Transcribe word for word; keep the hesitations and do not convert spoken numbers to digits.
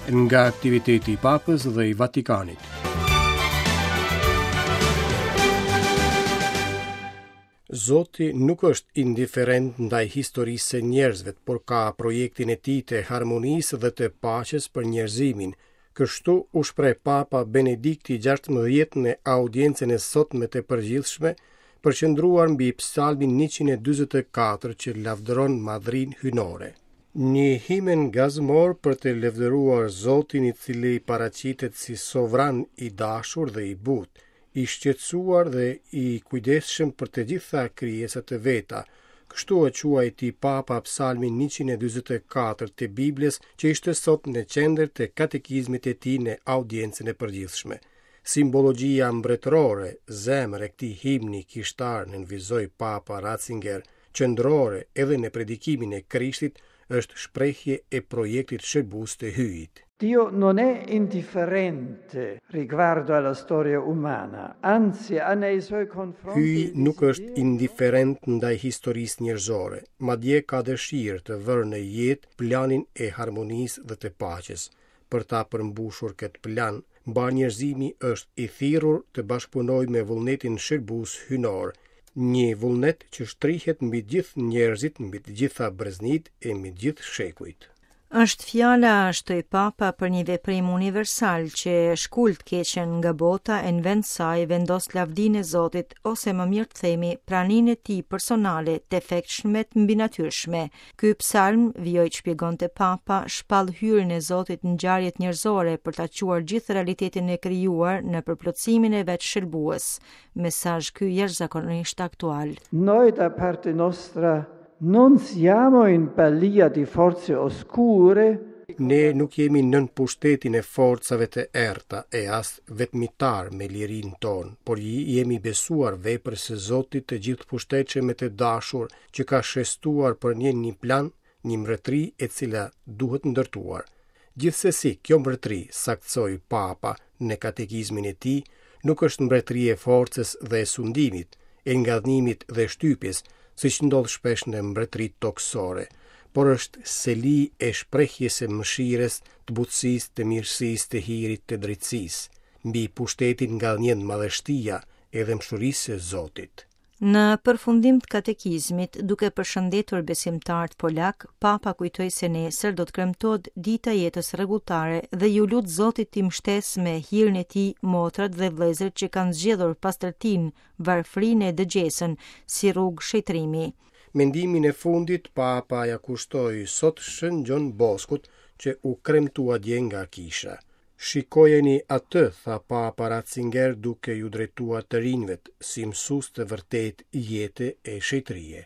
Nga aktiviteti i Papës dhe i Vatikanit. Zoti nuk është indiferent ndaj historisë së njerëzve, por ka projektin e tij të harmonisë dhe të paqes për njerëzimin. Kështu u shpreh Papa Benedikti gjashtëmbëdhjetë në audiencën e sotme të përgjithshme, përqendruar mbi Psalmin njëqind e dyzet e katër që lavdëron madhrinë hyjnore. Një himen gazmor për të lavdëruar Zotin i cili paraqitet si sovran i dashur dhe i butë, i shqetësuar dhe i kujdesshëm për të gjitha krijesat e veta. Kështu e quajti Papa Psalmin njëqind e dyzet e katër të Biblës, që ishte sot në qendër të katekizmit të tij në audiencën e përgjithshme. Simbologjia mbretërore, zemër e këtij himni kishtar, nënvizoi Papa Ratzinger, qendrore edhe në predikimin e Krishtit, është shprehje e projektit shërbues të Hyjit. Dio non è indifferente riguardo alla storia umana, anzi ha nei suoi confronti Hyji nuk është indiferent ndaj historisë njerëzore, madje ka dëshirë të vërë në jetë planin e harmonisë dhe të paqes. Për ta përmbushur këtë plan, mbar njerëzimi është i thirrur të bashkëpunojë me vullnetin shërbues hyjnor, një vullnet që shtrihet mbi gjithë njerëzit, mbi të gjitha breznit e mbi gjithë shekujt. Është fjala, shtoi Papa, për një veprim universal që shkul të keqen nga bota e në vend saj vendos lavdinë e Zotit, ose më mirë të themi, praninë e tij personale të efektshme të mbinatyrshme. Ky psalm, vijoi të shpjegonte Papa, shpall hyrjen e Zotit në ngjarjet njerëzore për ta çuar gjithë realitetin e krijuar në përplotësimin e vet shëlbues. Mesazh ky jashtëzakonisht aktual. Noi da parte nostra non siamo in balia di forze oscure. Ne nuk jemi nën pushtetin e forcave të errta e as vetmitar me lirinë tonë, por jemi besuar veprës së Zotit të gjithë pushtetshëm e të dashur që ka shestuar për ne një plan, një mbretëri e cila duhet ndërtuar. Gjithsesi, kjo mbretëri, saktësoi Papa në katekizmin e tij, nuk është mbretëri e forcës dhe e sundimit, e ngadhnimit dhe shtypjes, siç ndodh shpesh në mbretëritë tokësore, por është seli e shprehjes së mëshirës, të butësisë, të mirësisë, të hirit, të drejtësisë. Mbi pushtetin ngadhnjen madhështia e dhembshurisë së Zotit. Në përfundim të katekizmit, duke përshëndetur besimtarët polak, Papa kujtoi se nesër do të kremtohet dita e jetës rregulltare dhe ju lut Zotit t'i mbështesë me hirin e tij motrat dhe vëllezërit që kanë zgjedhur pastërtinë, varfrinë e dëgjesën si rrugë shëtrimi. Mendimin e fundit Papa ja kushtoi sot Shën Gjon Boskut, që u kremtua dje nga kisha. Shikojeni atë, tha Papa Ratzinger duke ju drejtuar të rinjve, si mësues të vërtet jete e shëtrie.